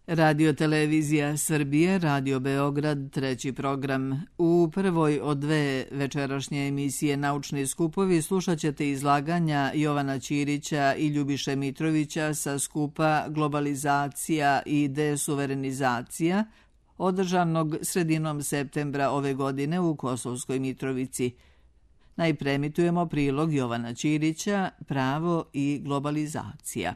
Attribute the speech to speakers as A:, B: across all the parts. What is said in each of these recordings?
A: Radio Televizija Srbije, Radio Beograd, treći program. U prvoj od dve večerašnje emisije Naučni skupovi slušat ćete izlaganja Jovana Ćirića i Ljubiše Mitrovića sa skupa Globalizacija i desuverenizacija, održanog sredinom septembra ove godine u Kosovskoj Mitrovici. Najpre emitujemo prilog Jovana Ćirića, Pravo i globalizacija.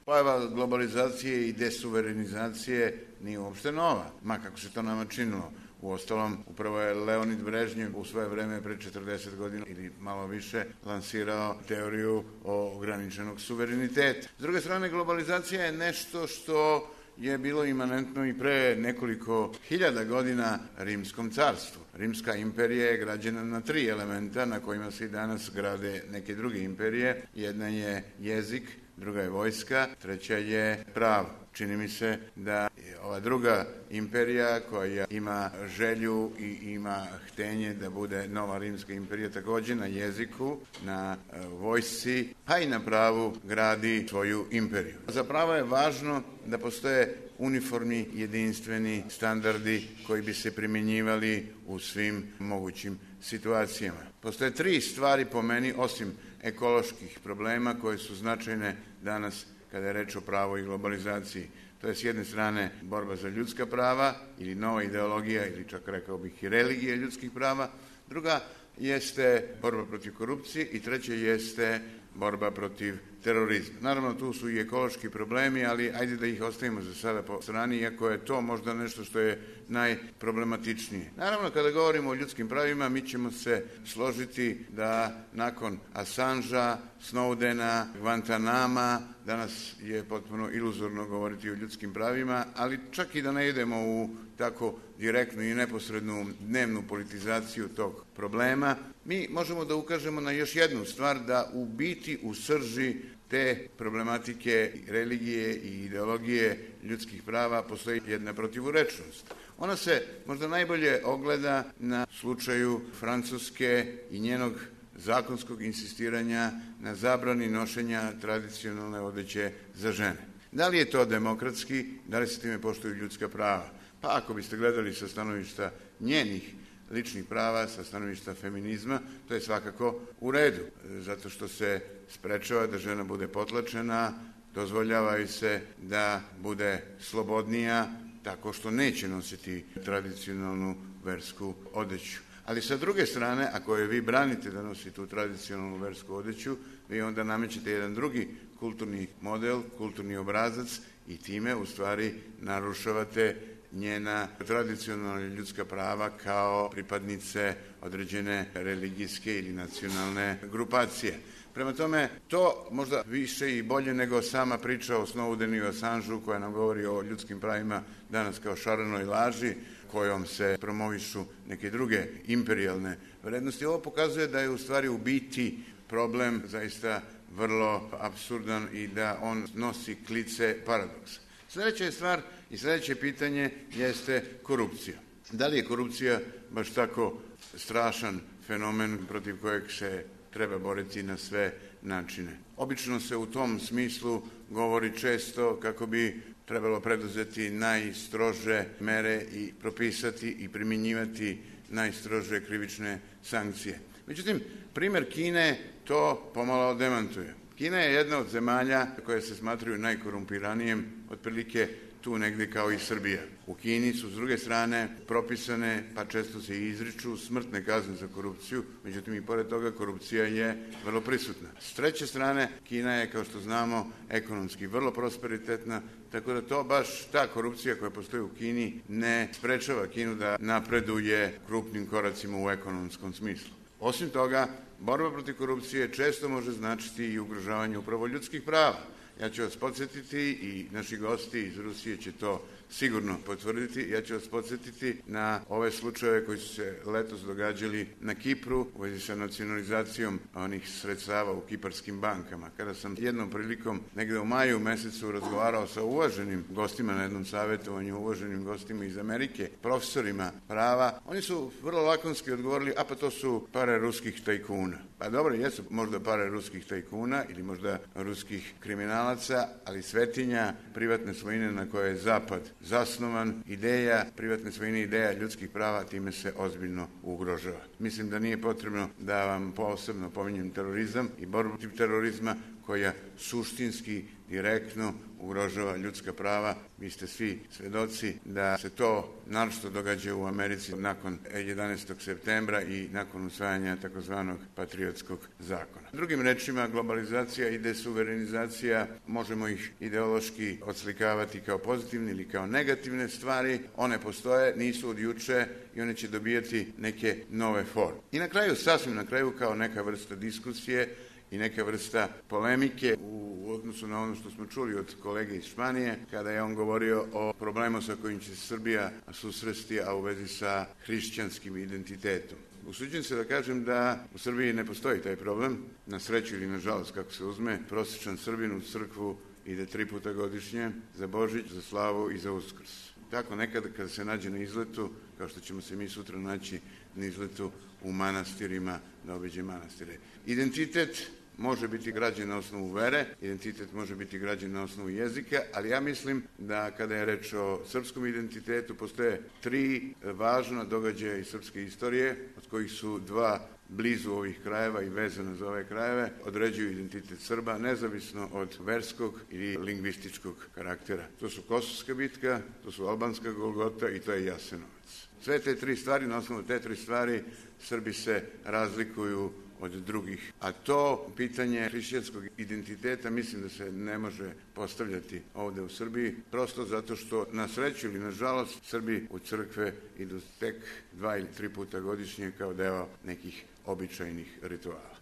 B: Pojava globalizacije i desuverenizacije nije uopšte nova, ma kako se to nama činilo. Uostalom, upravo je Leonid Brežnjev u svoje vreme pre 40 godina ili malo više lansirao teoriju ograničenog suvereniteta. S druge strane, globalizacija je nešto što je bilo imanentno i pre nekoliko hiljada godina Rimskom carstvu. Rimska imperija je građena na 3 elementa na kojima se i danas grade neke druge imperije. Jedna je jezik, druga je vojska, treća je pravo. Čini mi se da je ova druga imperija koja ima želju i ima htenje da bude nova Rimska imperija također na jeziku, na vojsci, pa i na pravu gradi svoju imperiju. Za pravo je važno da postoje uniformni, jedinstveni standardi koji bi se primjenjivali u svim mogućim situacijama. Postoje 3 stvari po meni, osim ekoloških problema koje su značajne danas kada je reč o pravu i globalizaciji. To je s jedne strane borba za ljudska prava ili nova ideologija ili čak rekao bih i religija ljudskih prava. Druga jeste borba protiv korupcije i treća jeste borba protiv terorizma. Naravno, tu su i ekološki problemi, ali ajde da ih ostavimo za sada po strani, iako je to možda nešto što je najproblematičnije. Naravno, kada govorimo o ljudskim pravima, mi ćemo se složiti da nakon Assangea, Snowdena, Guantanama, danas je potpuno iluzorno govoriti o ljudskim pravima, ali čak i da ne idemo u tako direktnu i neposrednu dnevnu politizaciju tog problema, mi možemo da ukažemo na još jednu stvar, da u biti u srži te problematike religije i ideologije ljudskih prava postoji jedna protivurečnost. Ona se možda najbolje ogleda na slučaju Francuske i njenog zakonskog insistiranja na zabrani nošenja tradicionalne odeće za žene. Da li je to demokratski, da li se time poštuju ljudska prava? Pa ako biste gledali sa stanovišta njenih ličnih prava, sa stanovišta feminizma, to je svakako u redu, zato što se sprečava da žena bude potlačena, dozvoljava se da bude slobodnija tako što neće nositi tradicionalnu versku odeću. Ali sa druge strane, ako je vi branite da nosi tu tradicionalnu versku odeću, vi onda namećete jedan drugi kulturni model, kulturni obrazac i time u stvari narušavate njena tradicionalna ljudska prava kao pripadnice određene religijske ili nacionalne grupacije. Prema tome, to možda više i bolje nego sama priča o Snowdenu i Assangeu koja nam govori o ljudskim pravima danas kao šarenoj laži, kojom se promovišu neke druge imperijalne vrednosti. Ovo pokazuje da je u stvari u biti problem zaista vrlo apsurdan i da on nosi klice paradoksa. Sljedeća je stvar i sljedeće pitanje jeste korupcija. Da li je korupcija baš tako strašan fenomen protiv kojeg se treba boriti na sve načine? Obično se u tom smislu govori često kako bi trebalo preduzeti najstrože mere i propisati i primjenjivati najstrože krivične sankcije. Međutim, primjer Kine to pomalo demantuje. Kina je jedna od zemalja koje se smatraju najkorumpiranijim, otprilike tu negdje kao i Srbija. U Kini su s druge strane propisane, pa često se i izriču smrtne kazne za korupciju, međutim i pored toga korupcija je vrlo prisutna. S treće strane, Kina je, kao što znamo, ekonomski vrlo prosperitetna, tako da to baš ta korupcija koja postoji u Kini ne sprečava Kinu da napreduje krupnim koracima u ekonomskom smislu. Osim toga, borba protiv korupcije često može značiti i ugrožavanje upravo ljudskih prava. Ja ću vas podsjetiti i naši gosti iz Rusije će to sigurno potvrditi. Ja ću vas podsjetiti na ove slučajeve koji su se letos događali na Kipru u vezi sa nacionalizacijom onih sredstava u kiparskim bankama. Kada sam jednom prilikom negdje u maju mesecu razgovarao sa uvaženim gostima na jednom savjetovanju, uvaženim gostima iz Amerike, profesorima prava, oni su vrlo lakonski odgovorili, a pa to su pare ruskih tajkuna. Pa dobro, jesu možda pare ruskih tajkuna ili možda ruskih kriminala, kriminalaca, ali svetinja privatne svojine na kojoj je Zapad zasnovan, ideja privatne svojine, ideja ljudskih prava, time se ozbiljno ugrožava. Mislim da nije potrebno da vam posebno pominjem terorizam i borbu protiv terorizma koja suštinski, direktno ugrožava ljudska prava. Vi ste svi svedoci da se to naročito događa u Americi nakon 11. septembra i nakon usvajanja takozvanog patriotskog zakona. Drugim rečima, globalizacija i desuverenizacija, možemo ih ideološki odslikavati kao pozitivne ili kao negativne stvari. One postoje, nisu od juče i one će dobijati neke nove forme. I na kraju, sasvim na kraju, kao neka vrsta diskusije i neka vrsta polemike u odnosu na ono što smo čuli od kolege iz Španije, kada je on govorio o problemu sa kojim će se Srbija susresti, a u vezi sa hrišćanskim identitetom. Usuđujem se da kažem da u Srbiji ne postoji taj problem, na sreću ili na žalost kako se uzme. Prosječan Srbin u crkvu ide 3 puta godišnje, za Božić, za slavu i za Uskrs. Tako nekada kada se nađe na izletu, kao što ćemo se mi sutra naći na izletu u manastirima, da obiđe manastire. Identitet može biti građen na osnovu vere, identitet može biti građen na osnovu jezika, ali ja mislim da kada je reč o srpskom identitetu postoje 3 važna događaja iz srpske istorije, od kojih su 2 blizu ovih krajeva i vezano za ove krajeve, određuju identitet Srba nezavisno od verskog ili lingvističkog karaktera. To su Kosovska bitka, to su Albanska Golgota i to je Jasenovac. Sve te 3 stvari, na osnovu te 3 stvari, Srbi se razlikuju od drugih. A to pitanje hrišćanskog identiteta mislim da se ne može postavljati ovde u Srbiji, prosto zato što na sreću ili na žalost Srbi u crkve idu tek 2 ili 3 puta godišnje kao deo nekih običajnih rituala.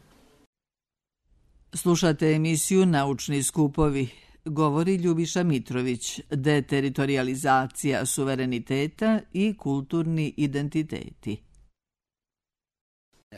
A: Slušate emisiju Naučni skupovi. Govori Ljubiša Mitrović, deteritorijalizacija suvereniteta i kulturni identiteti.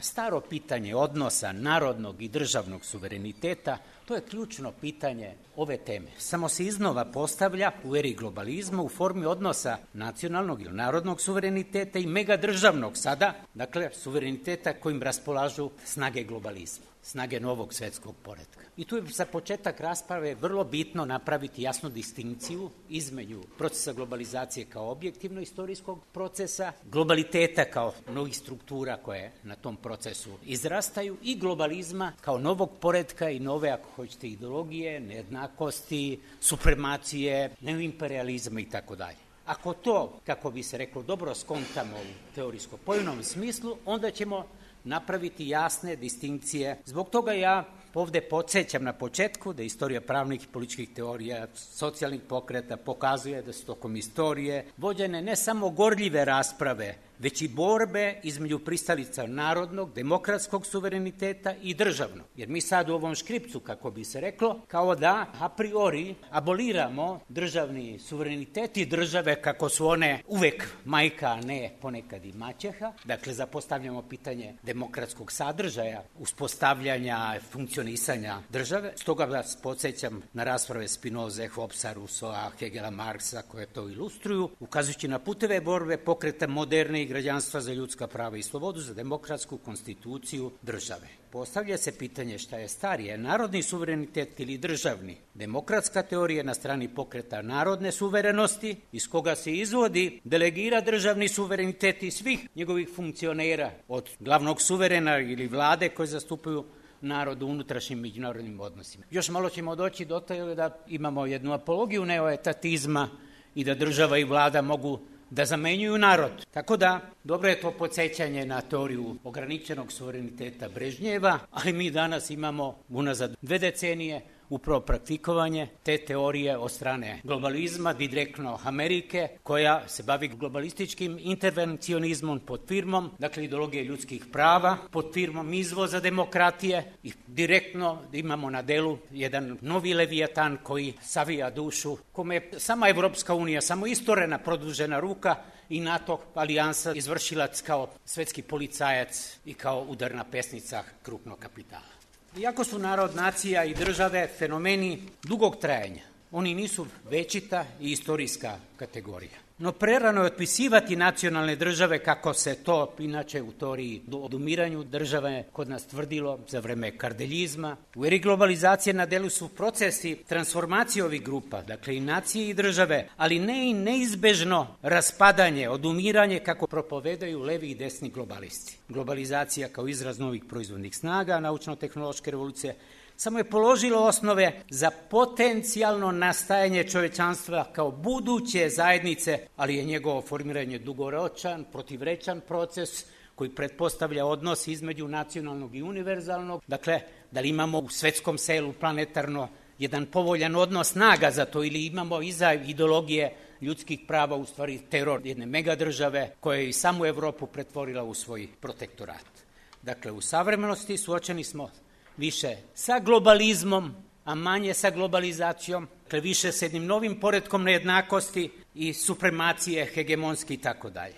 C: Staro pitanje odnosa narodnog i državnog suvereniteta, to je ključno pitanje ove teme. Samo se iznova postavlja u eri globalizma u formi odnosa nacionalnog ili narodnog suvereniteta i megadržavnog sada, dakle suvereniteta kojim raspolažu snage globalizma, snage novog svetskog poretka. I tu je za početak rasprave vrlo bitno napraviti jasnu distinkciju između procesa globalizacije kao objektivno istorijskog procesa, globaliteta kao novih struktura koje na tom procesu izrastaju i globalizma kao novog poretka i nove, ako hoćete, ideologije, nejednakosti, supremacije, neoimperializma i tako dalje. Ako to, kako bi se reklo, dobro skontamo u teorijsko-pojmovnom smislu, onda ćemo napraviti jasne distinkcije. Zbog toga ja ovde podsjećam na početku da istorija pravnih i političkih teorija, socijalnih pokreta pokazuje da su tokom istorije vođene ne samo gorljive rasprave, već i borbe između pristalica narodnog, demokratskog suvereniteta i državnog. Jer mi sad u ovom škripcu, kako bi se reklo, kao da a priori aboliramo državni suverenitet i države kako su one uvek majka, a ne ponekad i maćeha. Dakle, zapostavljamo pitanje demokratskog sadržaja, uspostavljanja, funkcionisanja države. Stoga vas podsjećam na rasprave Spinoze, Hobbesa, Rousseaua, Hegela, Marksa koje to ilustruju, ukazujući na puteve borbe pokreta moderne i građanstva za ljudska prava i slobodu, za demokratsku konstituciju države. Postavlja se pitanje šta je starije, narodni suverenitet ili državni. Demokratska teorija na strani pokreta narodne suverenosti, iz koga se izvodi, delegira državni suverenitet i svih njegovih funkcionera, od glavnog suverena ili vlade koje zastupaju narod u unutrašnjim međunarodnim odnosima. Još malo ćemo doći do toga da imamo jednu apologiju neoetatizma i da država i vlada mogu da zamenjuju narod. Tako da, dobro je to podsjećanje na teoriju ograničenog suvereniteta Brežnjeva, ali mi danas imamo unazad 2 decenije upravo praktikovanje te teorije od strane globalizma, direktno Amerike, koja se bavi globalističkim intervencionizmom pod firmom, dakle ideologije ljudskih prava, pod firmom izvoza demokratije i direktno imamo na delu jedan novi levijatan koji savija dušu, kome je sama Evropska unija, samo istorena produžena ruka i NATO alijansa izvršilac kao svetski policajac i kao udarna pesnica krupnog kapitala. Iako su narod, nacija i države fenomeni dugog trajanja, oni nisu večita i istorijska kategorija. No prerano je otpisivati nacionalne države kako se to inače u teoriji o odumiranju države kod nas tvrdilo za vreme kardeljizma. U eri globalizacije na delu su procesi transformacije ovih grupa, dakle i nacije i države, ali ne i neizbežno raspadanje, odumiranje kako propovedaju levi i desni globalisti. Globalizacija kao izraz novih proizvodnih snaga, naučno-tehnološke revolucije, samo je položilo osnove za potencijalno nastajanje čovečanstva kao buduće zajednice, ali je njegovo formiranje dugoročan, protivrečan proces koji pretpostavlja odnos između nacionalnog i univerzalnog. Dakle, da li imamo u svetskom selu planetarno jedan povoljan odnos snaga za to ili imamo iza ideologije ljudskih prava u stvari teror jedne megadržave koja je i samu Evropu pretvorila u svoj protektorat. Dakle, u savremenosti suočeni smo više sa globalizmom, a manje sa globalizacijom, dakle više s jednim novim poretkom nejednakosti i supremacije, hegemonski i tako dalje.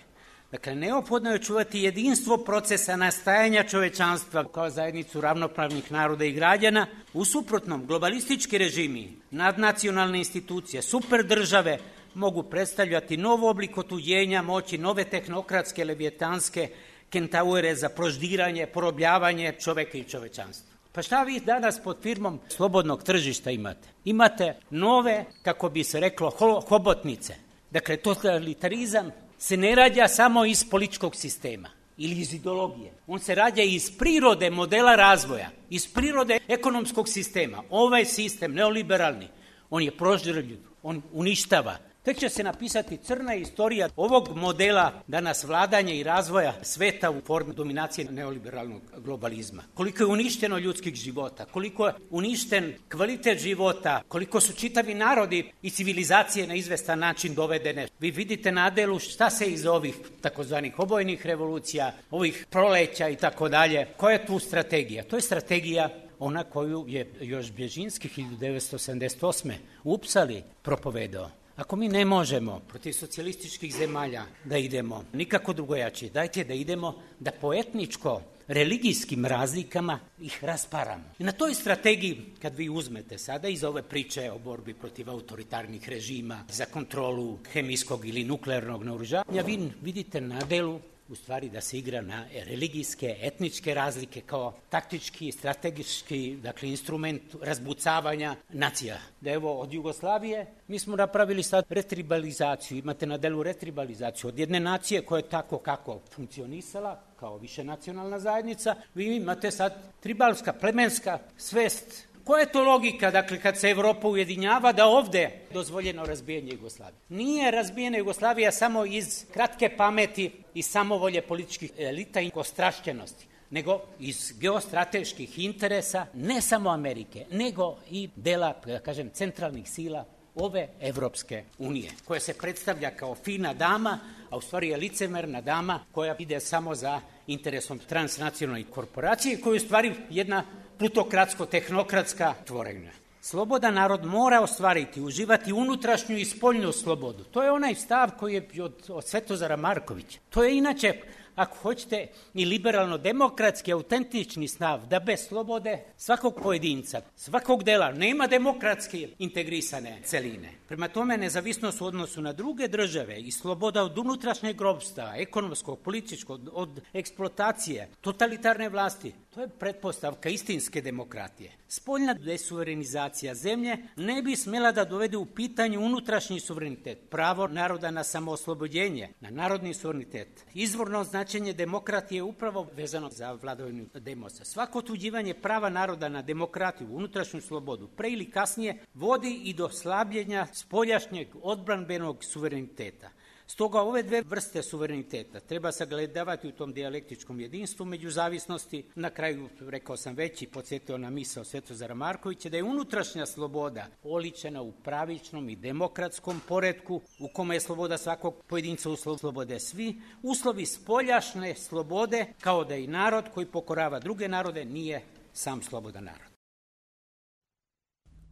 C: Dakle, neophodno je čuvati jedinstvo procesa nastajanja čovečanstva kao zajednicu ravnopravnih naroda i građana. U suprotnom, globalistički režimi, nadnacionalne institucije, superdržave mogu predstavljati nov oblik otuđenja moći, nove tehnokratske, levijetanske kentaure za proždiranje, porobljavanje čoveka i čovečanstva. Pa šta vi danas pod firmom slobodnog tržišta imate? Imate nove, kako bi se reklo, hobotnice. Dakle, totalitarizam se ne rađa samo iz političkog sistema ili iz ideologije. On se rađa iz prirode modela razvoja, iz prirode ekonomskog sistema. Ovaj sistem, neoliberalni, on je proždirljiv, on uništava. Tek će se napisati crna istorija ovog modela danas vladanja i razvoja sveta u formi dominacije neoliberalnog globalizma. Koliko je uništeno ljudskih života, koliko je uništen kvalitet života, koliko su čitavi narodi i civilizacije na izvestan način dovedene. Vi vidite na delu šta se iz ovih takozvanih obojnih revolucija, ovih proleća i tako dalje. Koja je tu strategija? To je strategija ona koju je još Bježinski 1978. u Upsali propovedao. Ako mi ne možemo protiv socijalističkih zemalja da idemo nikako drugojačije, dajte da idemo da po etničko-religijskim razlikama ih rasparamo. I na toj strategiji, kad vi uzmete sada iz ove priče o borbi protiv autoritarnih režima za kontrolu hemijskog ili nuklearnog naoružanja, vi vidite na delu u stvari da se igra na religijske, etničke razlike kao taktički, strategički, dakle, instrument razbucavanja nacija. Da evo, od Jugoslavije mi smo napravili sad retribalizaciju, imate na delu retribalizaciju od jedne nacije koja je tako kako funkcionisala, kao višenacionalna zajednica, vi imate sad tribalska, plemenska svest. Koja je to logika, dakle, kad se Evropa ujedinjava, da ovde je dozvoljeno razbijanje Jugoslavije? Nije razbijena Jugoslavija samo iz kratke pameti i samovolje političkih elita i ostrašćenosti, nego iz geostrateških interesa, ne samo Amerike, nego i dela, da kažem, centralnih sila ove Evropske unije, koja se predstavlja kao fina dama, a u stvari je licemerna dama koja ide samo za interesom transnacionalnih korporacije, koja je u stvari jedna plutokratsko-tehnokratska tvorevina. Slobodan narod mora ostvariti, uživati unutrašnju i spoljnu slobodu. To je onaj stav koji je od Svetozara Markovića. To je inače, ako hoćete, i liberalno-demokratski, autentični stav, da bez slobode svakog pojedinca, svakog dela, nema demokratski integrisane celine. Prema tome, nezavisnost u odnosu na druge države i sloboda od unutrašnjeg ropstva, ekonomskog, političkog, od eksploatacije, totalitarne vlasti, to je pretpostavka istinske demokratije. Spoljna desuverenizacija zemlje ne bi smjela da dovede u pitanje unutrašnji suverenitet, pravo naroda na samooslobođenje, na narodni suverenitet. Izvorno značenje demokratije je upravo vezano za vladavinu demosa. Svako otuđivanje prava naroda na demokratiju, unutrašnju slobodu, pre ili kasnije vodi i do slabljenja spoljašnjeg odbranbenog suvereniteta. Stoga ove dve vrste suvereniteta treba sagledavati u tom dijalektičkom jedinstvu među zavisnosti. Na kraju, rekao sam već i podsjetio na misao Svetozara Markovića, da je unutrašnja sloboda oličena u pravičnom i demokratskom poretku u kome je sloboda svakog pojedinca uslov slobode svi. Uslovi spoljašnje slobode, kao da i narod koji pokorava druge narode nije sam slobodan narod.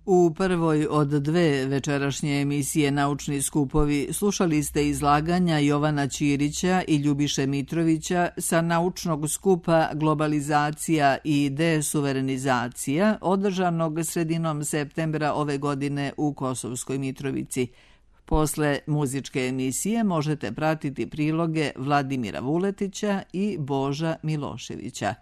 A: U prvoj od dve večerašnje emisije Naučni skupovi slušali ste izlaganja Jovana Ćirića i Ljubiše Mitrovića sa naučnog skupa Globalizacija i desuverenizacija, održanog sredinom septembra ove godine u Kosovskoj Mitrovici. Posle muzičke emisije možete pratiti priloge Vladimira Vuletića i Boža Miloševića.